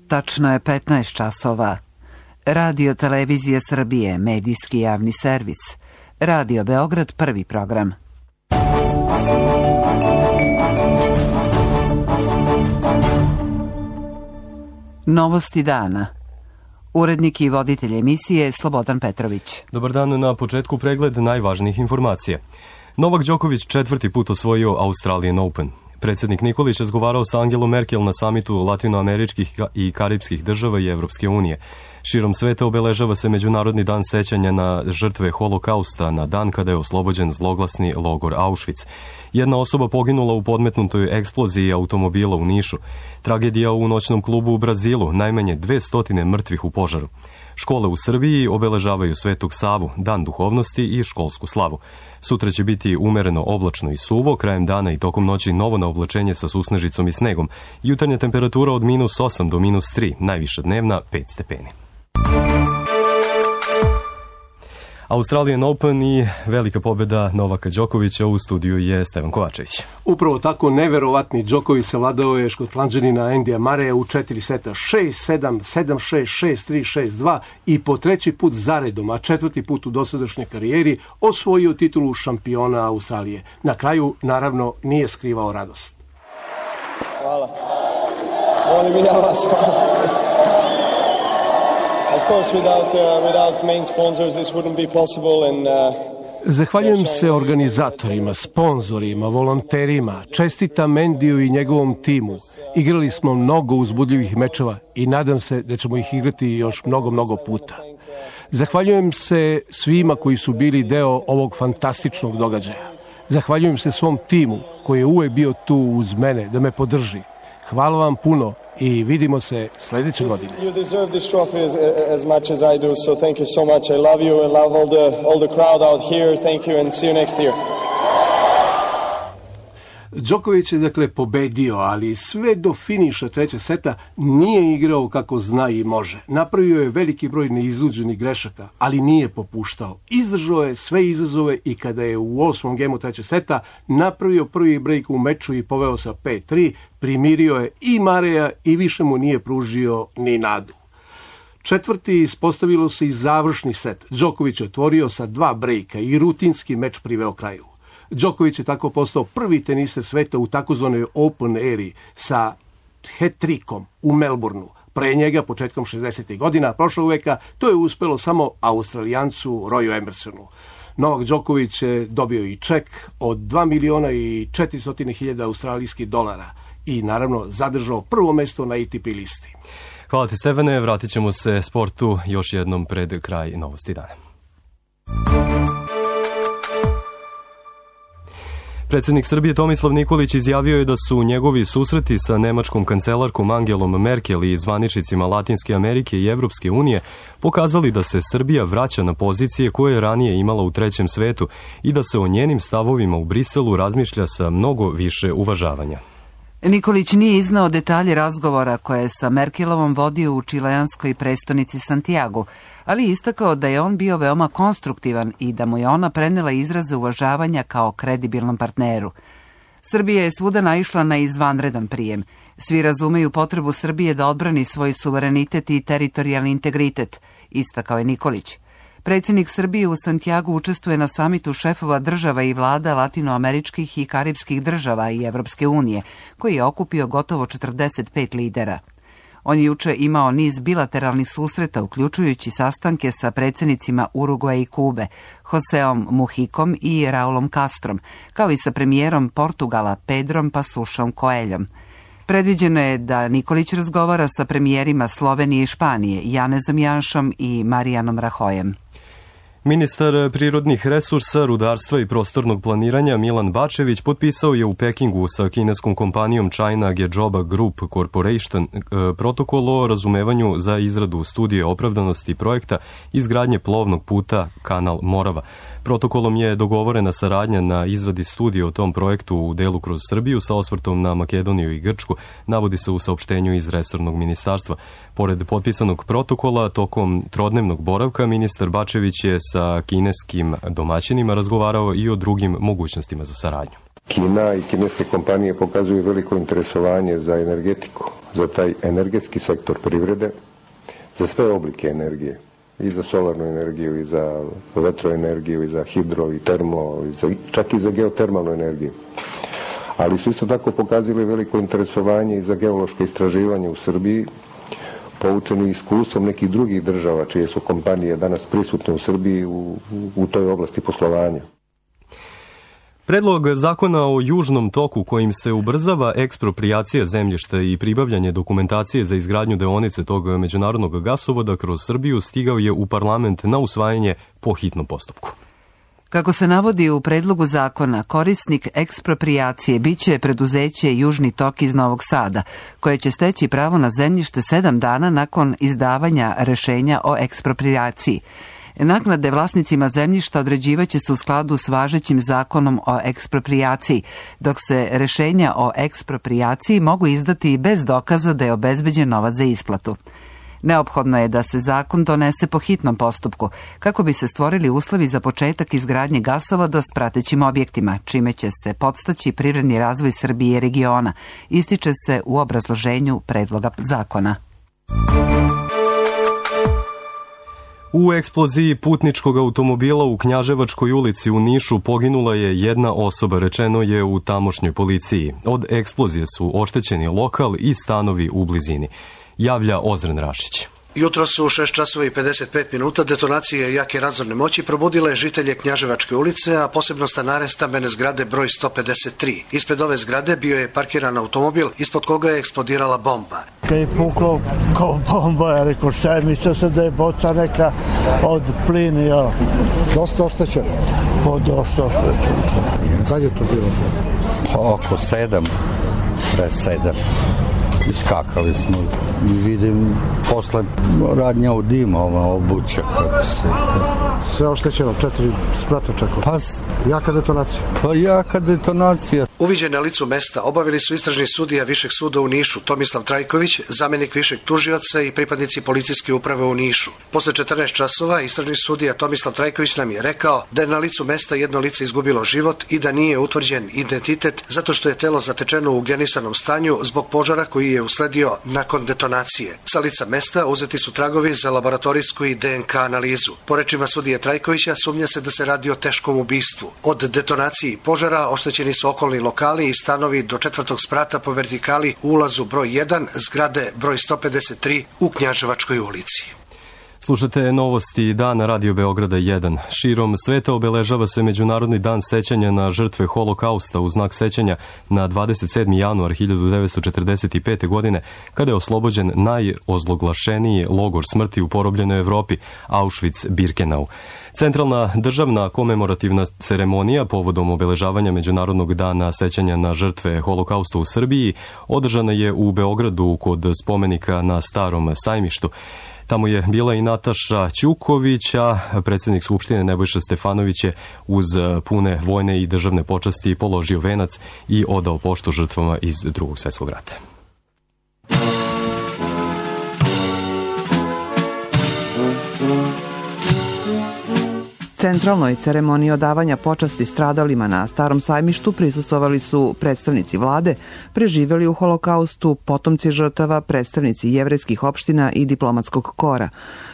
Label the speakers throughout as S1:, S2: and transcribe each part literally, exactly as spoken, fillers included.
S1: Tačno je petnaest časova. Radio Televizija Srbije, medijski javni servis. Radio Beograd, prvi program. Novosti dana. Urednik i voditelj emisije Slobodan Petrović.
S2: Dobar dan, na početku pregled najvažnijih informacija. Novak Đoković četvrti put osvojio Australian Open. Predsjednik Nikolić razgovarao sa Angelom Merkel na samitu latinoameričkih i karipskih država i Evropske unije. Širom sveta obeležava se Međunarodni dan sećanja na žrtve holokausta, na dan kada je oslobođen zloglasni logor Auschwitz. Jedna osoba poginula u podmetnutoj eksploziji automobila u Nišu. Tragedija u noćnom klubu u Brazilu, najmanje dve stotine mrtvih u požaru. Škole u Srbiji obeležavaju Svetog Savu, dan duhovnosti i školsku slavu. Sutra će biti umereno oblačno i suvo, krajem dana i tokom noći novo na oblačenje sa susnežicom i snegom. Jutarnja temperatura od minus osam do minus tri, najviša dnevna pet stepeni. Australian Open i velika pobjeda Novaka Đokovića. U studiju je Stevan Kovačević.
S3: Upravo tako neverovatni Đoković savladao je Škotlanđanina Andyja Murraya u četiri seta, šest sedam, sedam šest, šest tri, šest dva i po treći put zaredom, a četvrti put u dosadašnjoj karijeri osvojio titulu šampiona Australije. Na kraju, naravno, nije skrivao radost.
S4: Hvala. Volim i na vas. Of course, without, uh, without main sponsors, this wouldn't be possible. And, uh,
S3: Zahvaljujem se organizatorima, sponzorima, volonterima, čestitam Endiju i njegovom timu. Igrali smo mnogo uzbudljivih mečeva i nadam se da ćemo ih igrati još mnogo, mnogo puta. Zahvaljujem se svima koji su bili deo ovog fantastičnog događaja. Zahvaljujem se svom timu koji je uvek bio tu uz mene da me podrži. Hvala vam puno i vidimo se sljedeće godine.
S4: You deserve this trophy as, as much as I do, so thank you so much. I love you and love all the, all the crowd out here. Thank you and see you next year.
S3: Đoković je dakle pobedio, ali sve do finiša trećeg seta nije igrao kako zna i može. Napravio je veliki broj neizluđenih grešaka, ali nije popuštao. Izdržao je sve izazove i kada je u osmom gemu trećeg seta napravio prvi break u meču i poveo sa pet tri, primirio je i Murraya i više mu nije pružio ni nadu. Četvrti ispostavilo se i završni set. Đoković je otvorio sa dva brejka i rutinski meč priveo kraju. Đoković je tako postao prvi teniser sveta u takozvanoj Open eri sa hat-trickom u Melbourneu. Pre njega, početkom šezdesetih godina prošlog veka, to je uspelo samo Australijancu Royu Emersonu. Novak Đoković je dobio i ček od dva miliona i četiristo hiljada australijskih dolara i naravno zadržao prvo mesto na A T P listi.
S2: Hvala ti, Stevane, vratit ćemo se sportu još jednom pred kraj novosti dana. Predsjednik Srbije Tomislav Nikolić izjavio je da su njegovi susreti sa nemačkom kancelarkom Angelom Merkel i zvaničnicima Latinske Amerike i Evropske unije pokazali da se Srbija vraća na pozicije koje je ranije imala u trećem svetu i da se o njenim stavovima u Briselu razmišlja sa mnogo više uvažavanja.
S1: Nikolić nije iznao detalje razgovora koje je sa Merkelovom vodio u čileanskoj prestonici Santiago, ali istakao da je on bio veoma konstruktivan i da mu je ona prenela izraze uvažavanja kao kredibilnom partneru. Srbija je svuda naišla na izvanredan prijem. Svi razumeju potrebu Srbije da odbrani svoj suverenitet i teritorijalni integritet, istakao je Nikolić. Predsjednik Srbije u Santiagu učestvuje na samitu šefova država i vlada latinoameričkih i karipskih država i Evropske unije, koji je okupio gotovo četrdeset pet lidera. On je juče imao niz bilateralnih susreta, uključujući sastanke sa predsjednicima Urugvaja i Kube, Joseom Mujikom i Raulom Castrom, kao i sa premijerom Portugala Pedrom Pasušom Coelhom. Predviđeno je da Nikolić razgovara sa premijerima Slovenije i Španije, Janezom Janšom i Marijanom Rahojem.
S2: Ministar prirodnih resursa, rudarstva i prostornog planiranja Milan Bačević potpisao je u Pekingu sa kineskom kompanijom China Gezhouba Group Corporation protokol o razumevanju za izradu studije opravdanosti projekta izgradnje plovnog puta Kanal Morava. Protokolom je dogovorena saradnja na izradi studije o tom projektu u delu kroz Srbiju sa osvrtom na Makedoniju i Grčku, navodi se u saopštenju iz resornog ministarstva. Pored potpisanog protokola, tokom trodnevnog boravka, ministar Bačević je sa kineskim domaćinima razgovarao i o drugim mogućnostima za saradnju.
S5: Kina i kineske kompanije pokazuju veliko interesovanje za energetiku za taj energetski sektor privrede, za sve oblike energije, i za solarnu energiju, i za vetroenergiju, i za hidro, i termo, i za, čak i za geotermalnu energiju. Ali su isto tako pokazali veliko interesovanje i za geološko istraživanje u Srbiji, poučeni iskustvom nekih drugih država čije su kompanije danas prisutne u Srbiji u, u toj oblasti poslovanja.
S2: Predlog zakona o južnom toku kojim se ubrzava eksproprijacija zemljišta i pribavljanje dokumentacije za izgradnju deonice tog međunarodnog gasovoda kroz Srbiju stigao je u parlament na usvajanje po hitnom postupku.
S1: Kako se navodi u predlogu zakona, korisnik eksproprijacije biće preduzeće Južni tok iz Novog Sada, koje će steći pravo na zemljište sedam dana nakon izdavanja rešenja o eksproprijaciji. Naknade vlasnicima zemljišta određivaće se u skladu s važećim zakonom o eksproprijaciji, dok se rešenja o eksproprijaciji mogu izdati i bez dokaza da je obezbeđen novac za isplatu. Neophodno je da se zakon donese po hitnom postupku, kako bi se stvorili uslovi za početak izgradnje gasovoda s pratećim objektima, čime će se podstaći privredni razvoj Srbije i regiona, ističe se u obrazloženju predloga zakona.
S2: U eksploziji putničkog automobila u Knjaževačkoj ulici u Nišu poginula je jedna osoba, rečeno je u tamošnjoj policiji. Od eksplozije su oštećeni lokal i stanovi u blizini. Javlja Ozren Rašić.
S6: Jutro su u šest časova i pedeset pet minuta detonacije jake razorne moći probudile žitelje Knjaževačke ulice, a posebno stanare stambene zgrade broj sto pedeset tri. Ispred ove zgrade bio je parkiran automobil, ispod koga je eksplodirala bomba.
S7: Kad je puklo kao bomba, ja rekao šta je, mislio sam da je boca neka od plina. Ja.
S8: Dosta oštećen?
S7: Po dosta oštećen.
S8: Kad je to bilo?
S9: Pa oko sedam, pre sedam. Iskakali smo i vidim posle radnja u dima, ova obuća kako se...
S8: Sve oštećeno, četiri sprata čekao.
S9: Pa...
S8: Jaka detonacija?
S9: Pa jaka detonacija.
S6: Uviđen na licu mesta obavili su istražni sudija Višeg suda u Nišu, Tomislav Trajković, zamenik višeg tužioca i pripadnici policijske uprave u Nišu. Posle četrnaest časova istražni sudija Tomislav Trajković nam je rekao da je na licu mesta jedno lice izgubilo život i da nije utvrđen identitet zato što je telo zatečeno u ugljenisanom stanju zbog požara koji je usledio nakon detonacije. Sa lica mesta uzeti su tragovi za laboratorijsku i D N K analizu. Po rečima sudije Trajkovića sumnja se da se radi o teškom ubistvu. Od detonacije i požara oštećeni su okolni lokali i stanovi do četvrtog sprata po vertikali u ulazu broj jedan, zgrade broj sto pedeset tri u Knjaževačkoj ulici.
S2: Slušate novosti dana Radio Beograda jedan. Širom sveta obeležava se Međunarodni dan sećanja na žrtve Holokausta u znak sećanja na dvadeset sedmi januar hiljadu devetsto četrdeset pete. godine, kada je oslobođen najozloglašeniji logor smrti u porobljenoj Evropi, Auschwitz-Birkenau. Centralna državna komemorativna ceremonija povodom obeležavanja Međunarodnog dana sećanja na žrtve Holokausta u Srbiji održana je u Beogradu kod spomenika na Starom sajmištu. Tamo je bila i Nataša Ćuković, a predsjednik Skupštine Nebojša Stefanović je uz pune vojne i državne počasti položio venac i odao poštu žrtvama iz Drugog svjetskog rata.
S10: Centralnoj ceremoniji odavanja počasti stradalima na Starom sajmištu prisustvovali su predstavnici vlade, preživeli u Holokaustu, potomci žrtava, predstavnici jevrejskih opština i diplomatskog kora.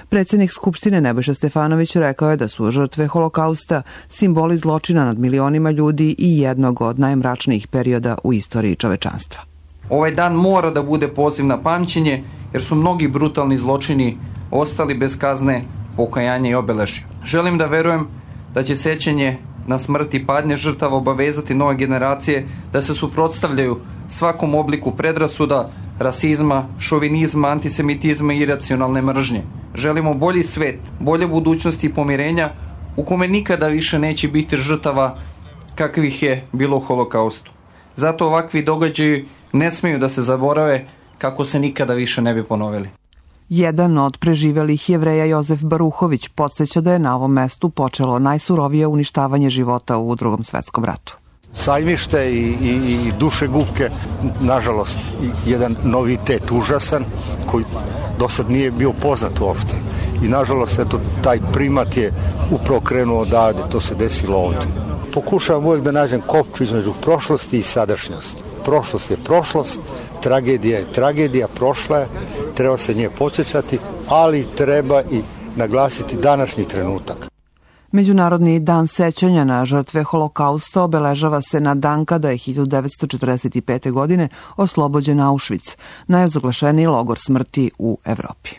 S10: Predsjednik Skupštine Nebojša Stefanović rekao je da su žrtve Holokausta simboli zločina nad milionima ljudi i jednog od najmračnijih perioda u istoriji čovečanstva.
S11: Ovaj dan mora da bude poziv na pamćenje, jer su mnogi brutalni zločini ostali bez kazne, pokajanja i obeležja. Želim da verujem da će sećanje na smrt i patnje žrtava obavezati nove generacije da se suprotstavljaju svakom obliku predrasuda, rasizma, šovinizma, antisemitizma i iracionalne mržnje. Želimo bolji svet, bolje budućnosti i pomirenja u kome nikada više neće biti žrtava kakvih je bilo u Holokaustu. Zato ovakvi događaji ne smeju da se zaborave kako se nikada više ne bi ponovili.
S10: Jedan od preživelih Jevreja Jozef Baruhović podsjeća da je na ovom mestu počelo najsurovije uništavanje života u Drugom svetskom ratu.
S9: Sajmište i, i, i dušegupke, nažalost, jedan novitet užasan koji do sad nije bio poznat uopšte. I nažalost, eto, taj primat je upravo krenuo odavde, to se desilo ovde. Pokušavam uvijek da nađem kopču između prošlosti i sadašnjosti. prošlost je prošlost, tragedija je tragedija, prošla je, treba se nje podsjećati, ali treba i naglasiti današnji trenutak.
S10: Međunarodni dan sećanja na žrtve Holokausta obeležava se na dan kada je hiljadu devetsto četrdeset pete. godine oslobođen Auschwitz, najozaglašeniji logor smrti u Evropi.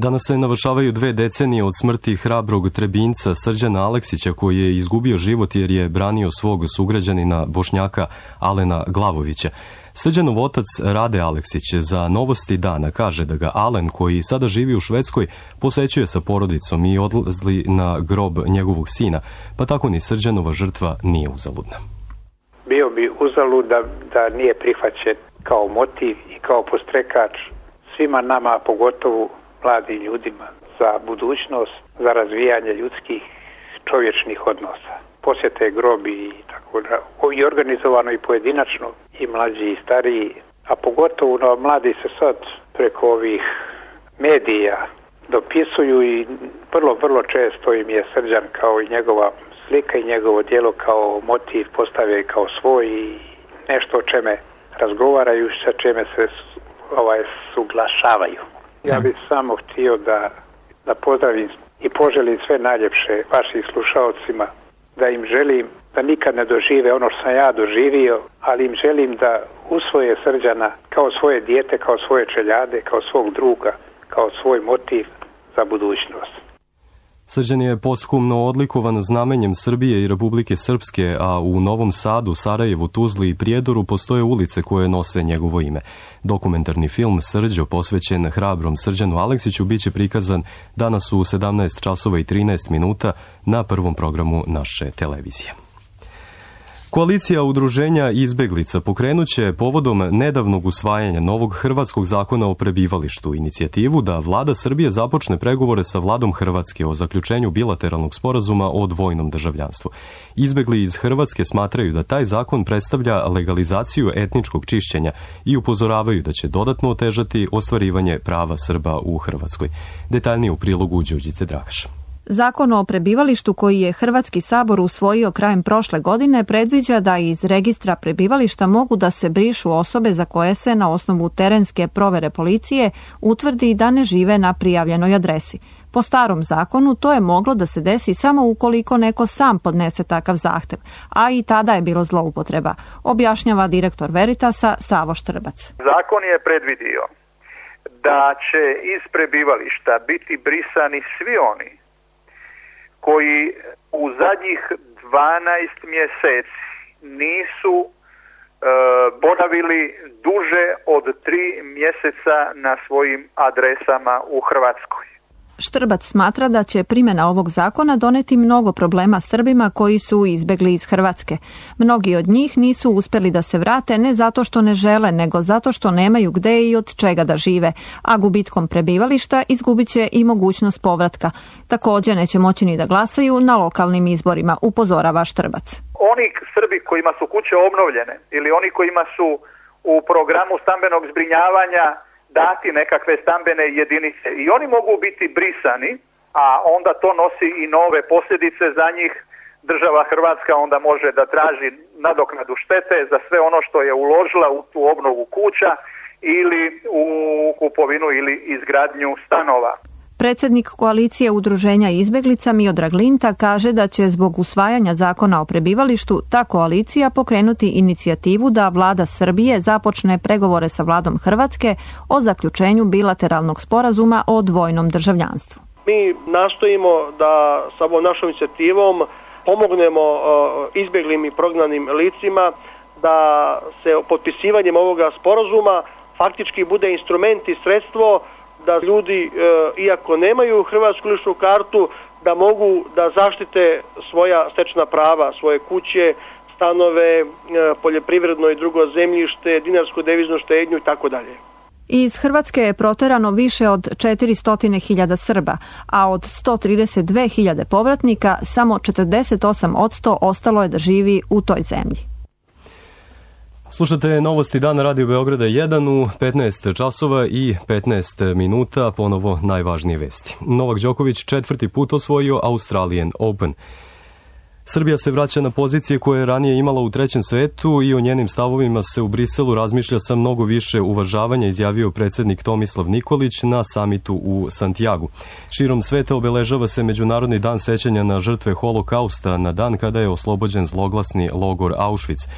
S2: Danas se navršavaju dve decenije od smrti hrabrog Trebinjca Srđana Aleksića, koji je izgubio život jer je branio svog sugrađanina Bošnjaka Alena Glavovića. Srđanov otac Rade Aleksić za Novosti dana kaže da ga Alen, koji sada živi u Švedskoj, posećuje sa porodicom i odlazi na grob njegovog sina, pa tako ni Srđanova žrtva nije uzaludna.
S12: Bio bi uzalud da, da nije prihvaćen kao motiv i kao postrekač svima nama, pogotovo mladim ljudima, za budućnost, za razvijanje ljudskih čovječnih odnosa. Posjete grobi i tako da, i organizovano i pojedinačno, i mlađi i stariji, a pogotovo no, mladi se sad preko ovih medija dopisuju i vrlo, vrlo često im je Srđan kao i njegova slika i njegovo djelo kao motiv postave kao svoj i nešto o čeme razgovaraju, sa čime se ovaj, suglašavaju. Ja bih samo htio da, da pozdravim i poželim sve najljepše vašim slušalcima, da im želim da nikad ne dožive ono što sam ja doživio, ali im želim da usvoje Srđana kao svoje dijete, kao svoje čeljade, kao svog druga, kao svoj motiv za budućnost.
S2: Srđan je posthumno odlikovan znamenjem Srbije i Republike Srpske, a u Novom Sadu, Sarajevu, Tuzli i Prijedoru postoje ulice koje nose njegovo ime. Dokumentarni film Srđo, posvećen hrabrom Srđanu Aleksiću, biće prikazan danas u sedamnaest časova i trinaest minuta na prvom programu naše televizije. Koalicija udruženja izbeglica pokrenuće povodom nedavnog usvajanja novog hrvatskog zakona o prebivalištu inicijativu da vlada Srbije započne pregovore sa vladom Hrvatske o zaključenju bilateralnog sporazuma o dvojnom državljanstvu. Izbegli iz Hrvatske smatraju da taj zakon predstavlja legalizaciju etničkog čišćenja i upozoravaju da će dodatno otežati ostvarivanje prava Srba u Hrvatskoj. Detaljnije u prilogu Đurđice Dragaš.
S13: Zakon o prebivalištu koji je Hrvatski sabor usvojio krajem prošle godine predviđa da iz registra prebivališta mogu da se brišu osobe za koje se na osnovu terenske provere policije utvrdi da ne žive na prijavljenoj adresi. Po starom zakonu to je moglo da se desi samo ukoliko neko sam podnese takav zahtev, a i tada je bilo zloupotreba, objašnjava direktor Veritasa Savo Štrbac.
S14: Zakon je predvidio da će iz prebivališta biti brisani svi oni koji u zadnjih dvanaest mjeseci nisu e, boravili duže od tri mjeseca na svojim adresama u Hrvatskoj.
S13: Štrbac smatra da će primjena ovog zakona doneti mnogo problema Srbima koji su izbegli iz Hrvatske. Mnogi od njih nisu uspjeli da se vrate ne zato što ne žele, nego zato što nemaju gde i od čega da žive, a gubitkom prebivališta izgubit će i mogućnost povratka. Također neće moći ni da glasaju na lokalnim izborima, upozorava Štrbac.
S14: Oni Srbi kojima su kuće obnovljene ili oni kojima su u programu stambenog zbrinjavanja dati nekakve stambene jedinice i oni mogu biti brisani, a onda to nosi i nove posljedice za njih. Država Hrvatska onda može da traži nadoknadu štete za sve ono što je uložila u tu obnovu kuća ili u kupovinu ili izgradnju stanova.
S13: Predsjednik koalicije udruženja izbeglica Miodrag Linta kaže da će zbog usvajanja zakona o prebivalištu ta koalicija pokrenuti inicijativu da vlada Srbije započne pregovore sa vladom Hrvatske o zaključenju bilateralnog sporazuma o dvojnom državljanstvu.
S15: Mi nastojimo da sa ovom našom inicijativom pomognemo izbjeglim i prognanim licima da se potpisivanjem ovoga sporazuma faktički bude instrument i sredstvo da ljudi, iako nemaju hrvatsku ličnu kartu, da mogu da zaštite svoja stečena prava, svoje kuće, stanove, poljoprivredno i drugo zemljište, dinarsku deviznu štednju i tako dalje.
S13: Iz Hrvatske je proterano više od četiristo hiljada Srba, a od sto trideset dve hiljade povratnika samo četrdeset osam posto ostalo je da živi u toj zemlji.
S2: Slušate Novosti dana Radio Beograda jedan u petnaest časova i petnaest minuta, ponovo najvažnije vesti. Novak Đoković četvrti put osvojio Australian Open. Srbija se vraća na pozicije koje je ranije imala u trećem svetu i o njenim stavovima se u Briselu razmišlja sa mnogo više uvažavanja, izjavio predsjednik Tomislav Nikolić na samitu u Santiagu. Širom sveta obeležava se Međunarodni dan sećanja na žrtve Holokausta, na dan kada je oslobođen zloglasni logor Auschwitz.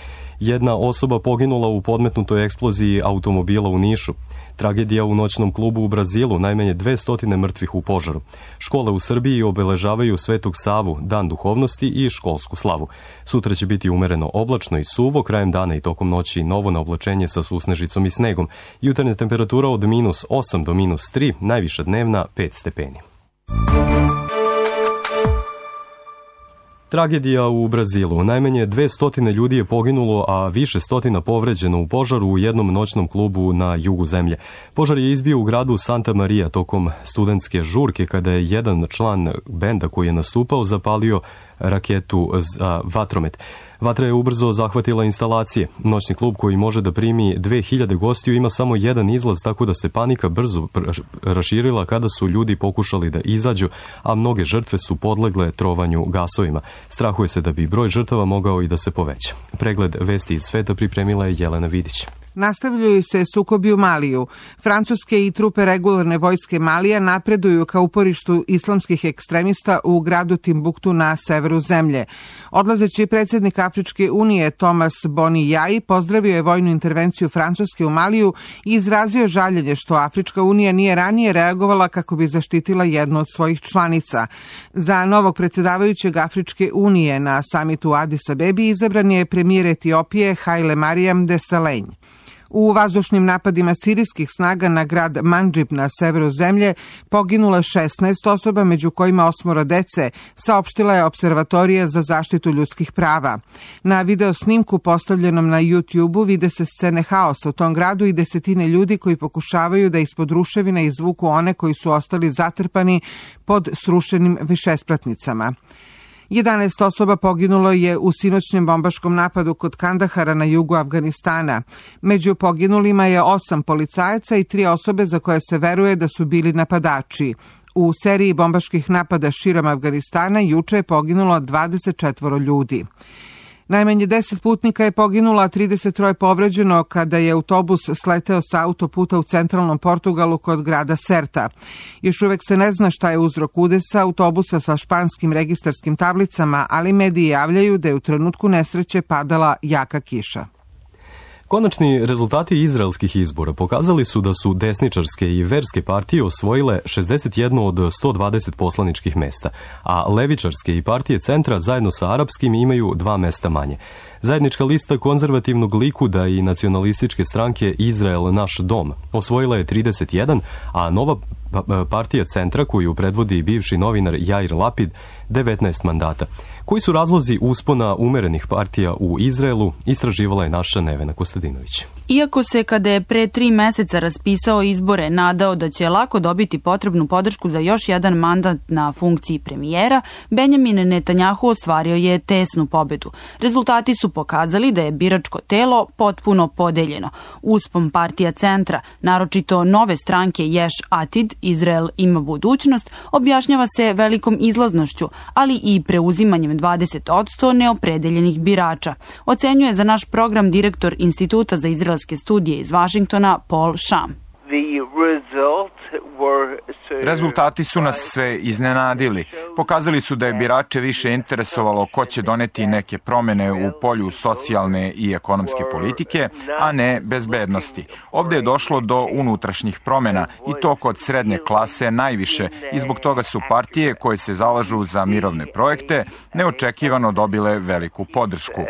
S2: Jedna osoba poginula u podmetnutoj eksploziji automobila u Nišu. Tragedija u noćnom klubu u Brazilu, najmanje dve stotine mrtvih u požaru. Škole u Srbiji obeležavaju Svetog Savu, dan duhovnosti i školsku slavu. Sutra će biti umereno oblačno i suvo, krajem dana i tokom noći novo na oblačenje sa susnežicom i snegom. Jutarnja temperatura od minus osam do minus tri, najviša dnevna pet stepeni. Tragedija u Brazilu. Najmanje dve stotine ljudi je poginulo, a više stotina povređeno u požaru u jednom noćnom klubu na jugu zemlje. Požar je izbio u gradu Santa Maria tokom studentske žurke kada je jedan član benda koji je nastupao zapalio raketu za vatromet. Vatra je ubrzo zahvatila instalacije. Noćni klub koji može da primi dve hiljade gostiju ima samo jedan izlaz, tako da se panika brzo raširila kada su ljudi pokušali da izađu, a mnoge žrtve su podlegle trovanju gasovima. Strahuje se da bi broj žrtava mogao i da se poveća. Pregled vesti iz sveta pripremila je Jelena Vidić.
S16: Nastavljaju se sukobi u Maliju. Francuske i trupe regularne vojske Malija napreduju ka uporištu islamskih ekstremista u gradu Timbuktu na severu zemlje. Odlazeći predsjednik Afričke unije Thomas Boni Jai pozdravio je vojnu intervenciju Francuske u Maliju i izrazio žaljenje što Afrička unija nije ranije reagovala kako bi zaštitila jednu od svojih članica. Za novog predsjedavajućeg Afričke unije na samitu u Adis Abebi izabran je premijer Etiopije Haile Mariam Desalegn. U vazdušnim napadima sirijskih snaga na grad Mandžib na severu zemlje poginulo šesnaest osoba, među kojima osmoro dece, saopštila je Observatorija za zaštitu ljudskih prava. Na video snimku postavljenom na YouTube-u vide se scene haosa u tom gradu i desetine ljudi koji pokušavaju da ispod ruševina izvuku one koji su ostali zatrpani pod srušenim višespratnicama. jedanaest osoba poginulo je u sinoćnjem bombaškom napadu kod Kandahara na jugu Afganistana. Među poginulima je osam policajaca i tri osobe za koje se veruje da su bili napadači. U seriji bombaških napada širom Afganistana juče je poginulo dvadeset četvoro ljudi. Najmanje deset putnika je poginulo, a trideset troje povređeno kada je autobus sleteo sa autoputa u centralnom Portugalu kod grada Serta. Još uvek se ne zna šta je uzrok udesa autobusa sa španskim registarskim tablicama, ali mediji javljaju da je u trenutku nesreće padala jaka kiša.
S2: Konačni rezultati izraelskih izbora pokazali su da su desničarske i verske partije osvojile šezdeset jedno od sto dvadeset poslaničkih mesta, a levičarske i partije centra zajedno sa arapskim imaju dva mesta manje. Zajednička lista konzervativnog Likuda i nacionalističke stranke Izrael naš dom osvojila je trideset jedan, a nova partija centra koju predvodi bivši novinar Jair Lapid devetnaest mandata. Koji su razlozi uspona umerenih partija u Izraelu, istraživala je naša Nevena Kostadinović.
S17: Iako se kada je pre tri meseca raspisao izbore nadao da će lako dobiti potrebnu podršku za još jedan mandat na funkciji premijera, Benjamin Netanjahu ostvario je tesnu pobedu. Rezultati su pokazali da je biračko telo potpuno podeljeno. Uspon partija centra, naročito nove stranke Ješ Atid, Izrael ima budućnost, objašnjava se velikom izlaznošću, ali i preuzimanjem dvadeset posto neopredeljenih birača. Ocenjuje za naš program direktor Instituta za izraelske studije iz Vašingtona Paul Sham.
S18: Rezultati su nas sve iznenadili. Pokazali su da je birače više interesovalo ko će doneti neke promene u polju socijalne i ekonomske politike, a ne bezbednosti. Ovdje je došlo do unutrašnjih promjena i to kod srednje klase najviše i zbog toga su partije koje se zalažu za mirovne projekte neočekivano dobile veliku podršku.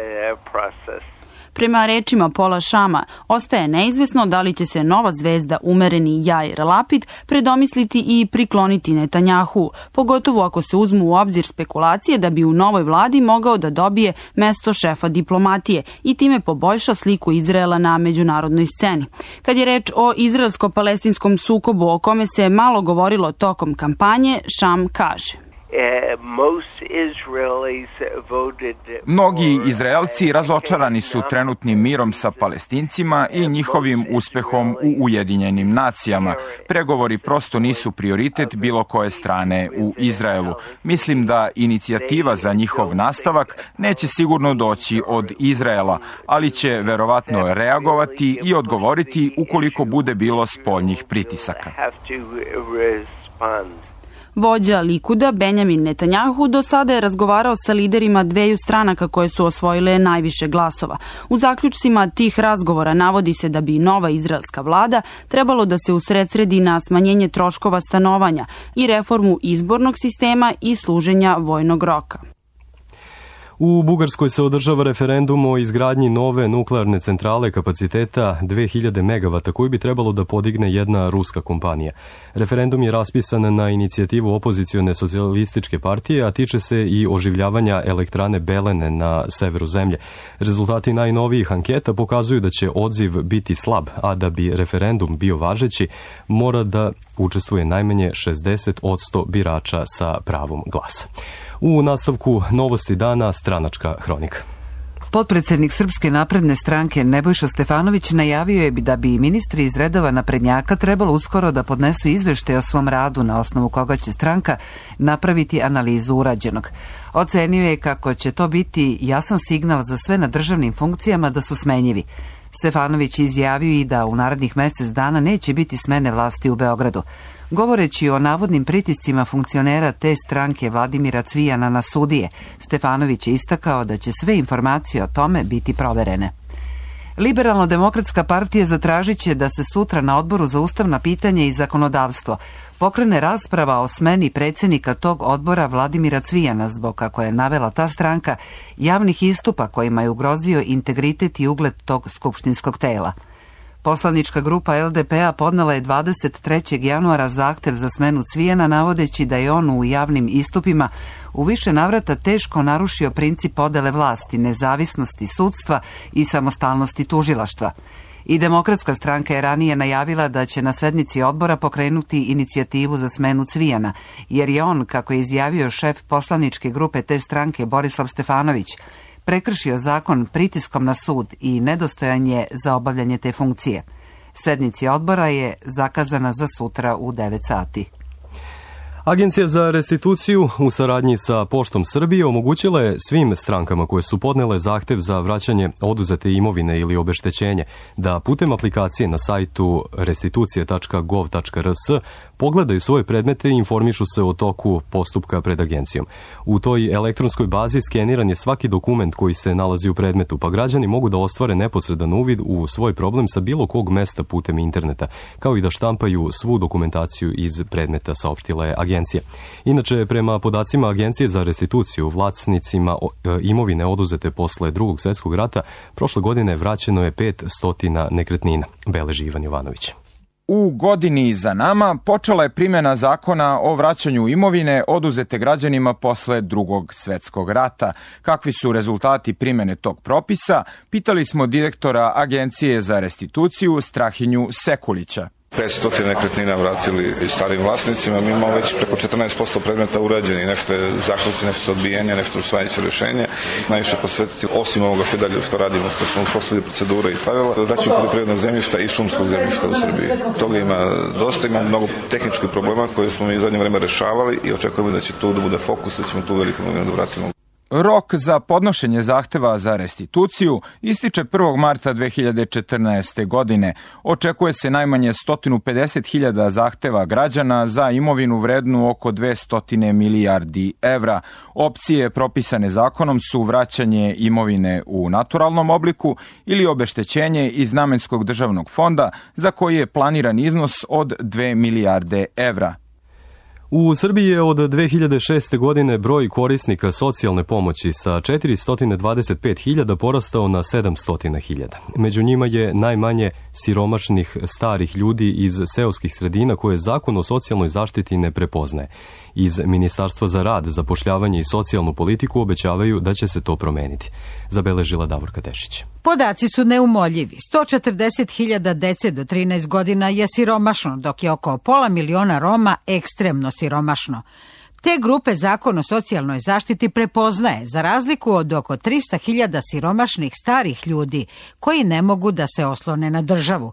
S17: Prema rečima Paula Shama, ostaje neizvesno da li će se nova zvezda umereni Jair Lapid predomisliti i prikloniti Netanjahu, pogotovo ako se uzmu u obzir spekulacije da bi u novoj vladi mogao da dobije mesto šefa diplomatije i time poboljša sliku Izraela na međunarodnoj sceni. Kad je reč o izraelsko-palestinskom sukobu o kome se malo govorilo tokom kampanje, Sham kaže:
S18: Mnogi Izraelci razočarani su trenutnim mirom sa Palestincima i njihovim uspehom u Ujedinjenim nacijama. Pregovori prosto nisu prioritet bilo koje strane u Izraelu. Mislim da inicijativa za njihov nastavak neće sigurno doći od Izraela, ali će verovatno reagovati i odgovoriti ukoliko bude bilo spoljnih pritisaka.
S17: Vođa Likuda Benjamin Netanjahu do sada je razgovarao sa liderima dveju stranaka koje su osvojile najviše glasova. U zaključcima tih razgovora navodi se da bi nova izraelska vlada trebalo da se usredsredi na smanjenje troškova stanovanja i reformu izbornog sistema i služenja vojnog roka.
S2: U Bugarskoj se održava referendum o izgradnji nove nuklearne centrale kapaciteta dve hiljade megavata koju bi trebalo da podigne jedna ruska kompanija. Referendum je raspisan na inicijativu opozicione socijalističke partije, a tiče se i oživljavanja elektrane Belene na severu zemlje. Rezultati najnovijih anketa pokazuju da će odziv biti slab, a da bi referendum bio važeći, mora da učestvuje najmanje šezdeset posto birača sa pravom glasa. U nastavku novosti dana stranačka hronika.
S1: Potpredsednik Srpske napredne stranke Nebojša Stefanović najavio je da bi ministri iz redova naprednjaka trebalo uskoro da podnesu izveštaj o svom radu na osnovu koga će stranka napraviti analizu urađenog. Ocenio je kako će to biti jasan signal za sve na državnim funkcijama da su smenjivi. Stefanović izjavio i da u narednih mesec dana neće biti smene vlasti u Beogradu. Govoreći o navodnim pritiscima funkcionera te stranke Vladimira Cvijana na sudije, Stefanović je istakao da će sve informacije o tome biti proverene. Liberalno-demokratska partija zatražit će da se sutra na odboru za ustavna pitanja i zakonodavstvo pokrene rasprava o smeni predsjednika tog odbora Vladimira Cvijana zbog, kako je navela ta stranka, javnih istupa kojima je ugrozio integritet i ugled tog skupštinskog tela. Poslanička grupa L D P-a podnela je dvadeset trećeg januara zahtev za smenu Cvijana, navodeći da je on u javnim istupima u više navrata teško narušio princip podele vlasti, nezavisnosti sudstva i samostalnosti tužilaštva. I Demokratska stranka je ranije najavila da će na sednici odbora pokrenuti inicijativu za smenu Cvijana, jer je on, kako je izjavio šef poslaničke grupe te stranke Borislav Stefanović, prekršio zakon pritiskom na sud i nedostojan je za obavljanje te funkcije. Sednici odbora je zakazana za sutra u devet sati.
S2: Agencija za restituciju u saradnji sa Poštom Srbije omogućila je svim strankama koje su podnele zahtev za vraćanje oduzete imovine ili obeštećenje da putem aplikacije na sajtu restitucije tačka gov tačka r s pogledaju svoje predmete i informišu se o toku postupka pred agencijom. U toj elektronskoj bazi skeniran je svaki dokument koji se nalazi u predmetu, pa građani mogu da ostvare neposredan uvid u svoj problem sa bilo kog mesta putem interneta, kao i da štampaju svu dokumentaciju iz predmeta, saopštila je agencija. Inače, prema podacima Agencije za restituciju, vlasnicima imovine oduzete posle drugog svjetskog rata, prošle godine vraćeno je pet stotina nekretnina, beleži Ivan Jovanović.
S18: U godini za nama počela je primjena zakona o vraćanju imovine oduzete građanima posle drugog svetskog rata. Kakvi su rezultati primjene tog propisa? Pitali smo direktora Agencije za restituciju Strahinju Sekulića.
S19: petsto nekretnina vratili starim vlasnicima, mi imamo već preko četrnaest posto predmeta urađeni, nešto je zaključci, nešto su odbijenje, nešto usvajajuće rješenje. Najviše posvetiti, osim ovoga što dalje što radimo, što smo uspostavili procedure i pravila, vraćanje poljoprivrednog zemljišta i šumskog zemljišta u Srbiji. Toga ima dosta, ima mnogo tehničkih problema koje smo mi zadnje vreme rešavali i očekujemo da će tu da bude fokus, da ćemo tu veliku imovinu da vratimo.
S18: Rok za podnošenje zahteva za restituciju ističe prvog marta dve hiljade četrnaeste. godine. Očekuje se najmanje sto pedeset hiljada zahteva građana za imovinu vrednu oko dvesta milijardi evra. Opcije propisane zakonom su vraćanje imovine u naturalnom obliku ili obeštećenje iz namenskog državnog fonda za koji je planiran iznos od dve milijarde evra.
S2: U Srbiji je od dve hiljade šeste. godine broj korisnika socijalne pomoći sa četiristo dvadeset pet hiljada porastao na sedamsto hiljada. Među njima je najmanje siromašnih starih ljudi iz seoskih sredina koje zakon o socijalnoj zaštiti ne prepoznaje. Iz Ministarstva za rad, zapošljavanje i socijalnu politiku obećavaju da će se to promeniti, zabeležila Davorka Tešić.
S20: Podaci su neumoljivi. sto četrdeset hiljada dece do trinaest godina je siromašno, dok je oko pola miliona Roma ekstremno siromašno. Te grupe Zakon o socijalnoj zaštiti prepoznaje, za razliku od oko trista hiljada siromašnih starih ljudi koji ne mogu da se oslone na državu.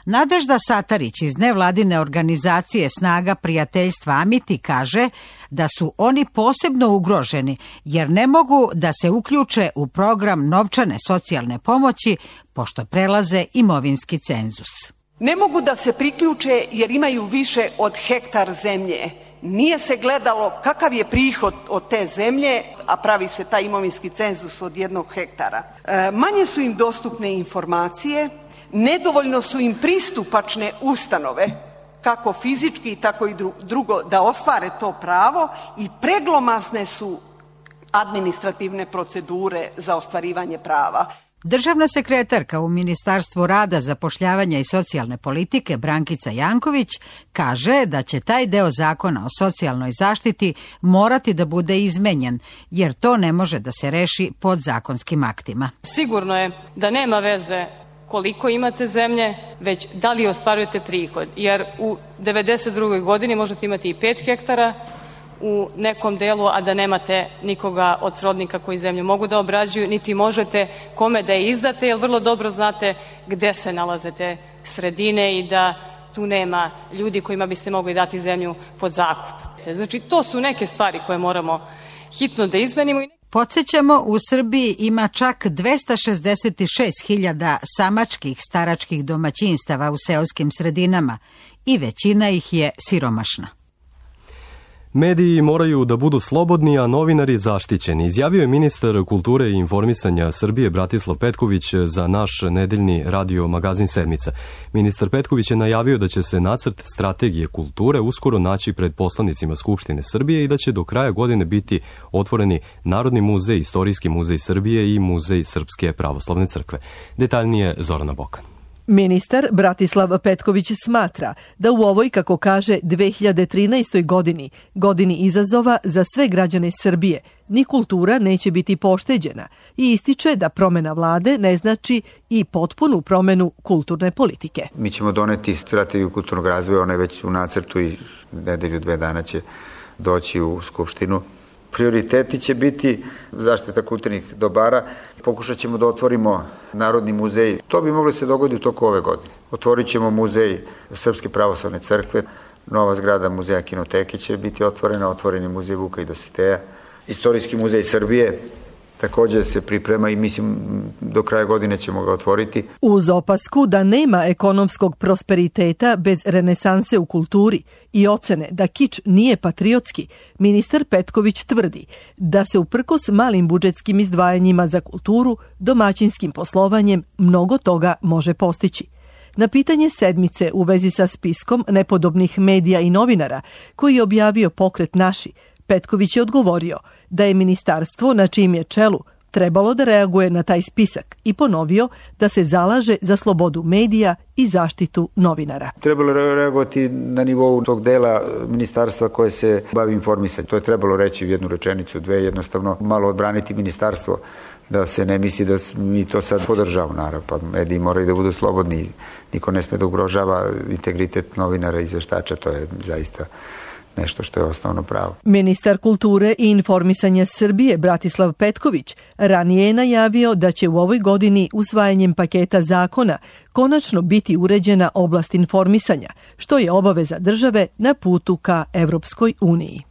S20: Nadežda Satarić iz nevladine organizacije Snaga prijateljstva Amiti kaže da su oni posebno ugroženi jer ne mogu da se uključe u program novčane socijalne pomoći pošto prelaze imovinski cenzus.
S21: Ne mogu da se priključe jer imaju više od hektar zemlje. Nije se gledalo kakav je prihod od te zemlje, a pravi se taj imovinski cenzus od jednog hektara. E, manje su im dostupne informacije, nedovoljno su im pristupačne ustanove, kako fizički, tako i drugo, da ostvare to pravo i preglomazne su administrativne procedure za ostvarivanje prava.
S20: Državna sekretarka u Ministarstvu rada, zapošljavanja i socijalne politike Brankica Janković kaže da će taj deo zakona o socijalnoj zaštiti morati da bude izmenjen, jer to ne može da se reši podzakonskim aktima.
S22: Sigurno je da nema veze koliko imate zemlje, već da li ostvarujete prihod, jer u devedeset drugoj godini možete imati i pet hektara u nekom delu, a da nemate nikoga od srodnika koji zemlju mogu da obrađuju, niti možete kome da je izdate, jer vrlo dobro znate gde se nalaze te sredine i da tu nema ljudi kojima biste mogli dati zemlju pod zakup. Znači, to su neke stvari koje moramo hitno da izmenimo.
S20: Podsjećamo, u Srbiji ima čak dvesta šezdeset šest hiljada samačkih staračkih domaćinstava u seoskim sredinama i većina ih je siromašna.
S2: Mediji moraju da budu slobodni, a novinari zaštićeni, izjavio je ministar kulture i informisanja Srbije Bratislav Petković za naš nedeljni radio magazin Sedmica. Ministar Petković je najavio da će se nacrt strategije kulture uskoro naći pred poslanicima Skupštine Srbije i da će do kraja godine biti otvoreni Narodni muzej, Istorijski muzej Srbije i Muzej Srpske pravoslavne crkve. Detaljnije Zorana Bokan.
S23: Ministar Bratislav Petković smatra da u ovoj, kako kaže, dve hiljade trinaestoj godini, godini izazova za sve građane Srbije, ni kultura neće biti pošteđena i ističe da promena vlade ne znači i potpunu promenu kulturne politike.
S24: Mi ćemo doneti strategiju kulturnog razvoja, ona je već u nacrtu i nedelju dve dana će doći u Skupštinu. Prioriteti će biti zaštita kulturnih dobara. Pokušat ćemo da otvorimo Narodni muzej. To bi moglo se dogoditi u toku ove godine. Otvorit ćemo muzej Srpske pravoslavne crkve. Nova zgrada muzeja Kinoteke će biti otvorena. Otvoreni muzej Vuka i Dositeja. Istorijski muzej Srbije također se priprema i mislim do kraja godine ćemo ga otvoriti.
S23: Uz opasku da nema ekonomskog prosperiteta bez renesanse u kulturi i ocene da kič nije patriotski, ministar Petković tvrdi da se uprkos malim budžetskim izdvajanjima za kulturu, domaćinskim poslovanjem mnogo toga može postići. Na pitanje Sedmice u vezi sa spiskom nepodobnih medija i novinara koji je objavio Pokret Naši, Petković je odgovorio da je ministarstvo na čijem je čelu trebalo da reaguje na taj spisak i ponovio da se zalaže za slobodu medija i zaštitu novinara.
S24: Trebalo je reagovati na nivou tog dela ministarstva koje se bavi informisanjem. To je trebalo reći u jednu rečenicu, dve, jednostavno malo odbraniti ministarstvo, da se ne misli da mi to sad podržavamo, naravno, pa mediji moraju da budu slobodni, niko ne sme da ugrožava integritet novinara i izveštača, to je zaista nešto što je osnovno pravo.
S23: Ministar kulture i informisanja Srbije Bratislav Petković ranije je najavio da će u ovoj godini usvajanjem paketa zakona konačno biti uređena oblast informisanja, što je obaveza države na putu ka Evropskoj uniji.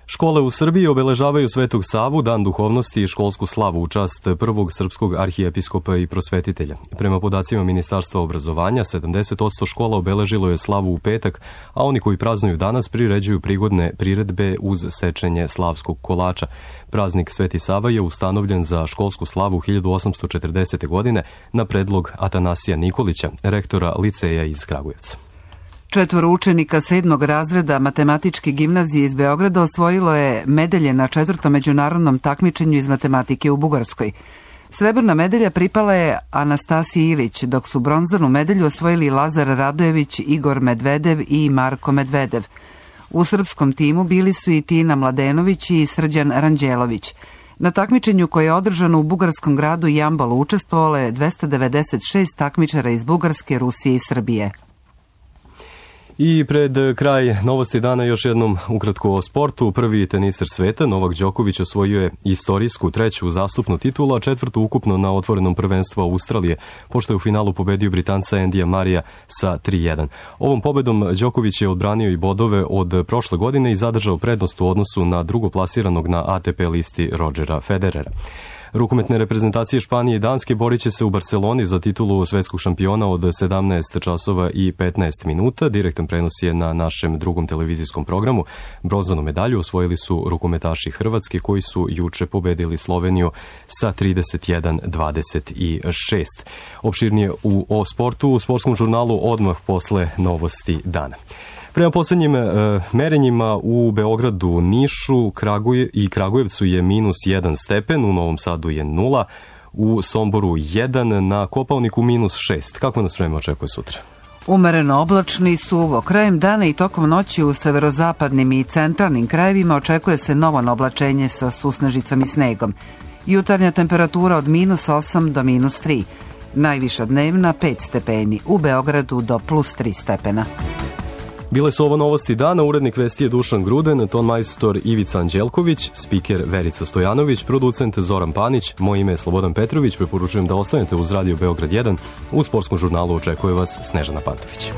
S2: Škole u Srbiji obeležavaju Svetog Savu, dan duhovnosti i školsku slavu u čast prvog srpskog arhijepiskopa i prosvetitelja. Prema podacima Ministarstva obrazovanja, sedamdeset posto škola obeležilo je slavu u petak, a oni koji praznuju danas priređuju prigodne priredbe uz sečenje slavskog kolača. Praznik Sveti Sava je ustanovljen za školsku slavu hiljadu osamsto četrdesete. godine na predlog Atanasija Nikolića, rektora liceja iz Kragujevca.
S1: Četvoro učenika sedmog razreda matematičke gimnazije iz Beograda osvojilo je medalje na četvrtom međunarodnom takmičenju iz matematike u Bugarskoj. Srebrna medalja pripala je Anastasiji Ilić, dok su bronzanu medalju osvojili Lazar Radojević, Igor Medvedev i Marko Medvedev. U srpskom timu bili su i Tina Mladenović i Srđan Ranđelović. Na takmičenju koje je održano u bugarskom gradu Jambalu učestvovalo je dvesta devedeset šest takmičara iz Bugarske, Rusije i Srbije.
S2: I pred kraj novosti dana još jednom ukratko o sportu. Prvi teniser sveta, Novak Đoković, osvojio je istorijsku treću uzastopnu titulu, a četvrtu ukupno na otvorenom prvenstvu Australije, pošto je u finalu pobedio Britanca Endija Marija sa tri jedan. Ovom pobedom Đoković je odbranio i bodove od prošle godine i zadržao prednost u odnosu na drugoplasiranog na A T P listi Rodgera Federera. Rukometne reprezentacije Španije i Danske borit će se u Barceloni za titulu svetskog šampiona od sedamnaest časova i petnaest minuta. Direktan prenos je na našem drugom televizijskom programu. Bronzanu medalju osvojili su rukometaši Hrvatske koji su juče pobedili Sloveniju sa trideset jedan dvadeset šest. Opširnije u o sportu u sportskom žurnalu odmah posle novosti dana. Prema poslednjim e, merenjima u Beogradu, Nišu Kraguje, i Kragujevcu je minus jedan stepen, u Novom Sadu je nula, u Somboru jedan, na Kopaoniku minus šest. Kako nas vreme očekuje sutra?
S1: Umereno oblačni, suvo. Krajem dana i tokom noći u severozapadnim i centralnim krajevima očekuje se novo oblačenje sa susnežicom i snegom. Jutarnja temperatura od minus osam do minus tri. Najviša dnevna pet stepeni, u Beogradu do plus tri stepena.
S2: Bile su ovo novosti dana, urednik vesti je Dušan Gruden, ton majstor Ivica Anđelković, spiker Verica Stojanović, producent Zoran Panić, moje ime je Slobodan Petrović, preporučujem da ostanete uz Radio Beograd jedan, u sportskom žurnalu očekuje vas Snežana Pantović.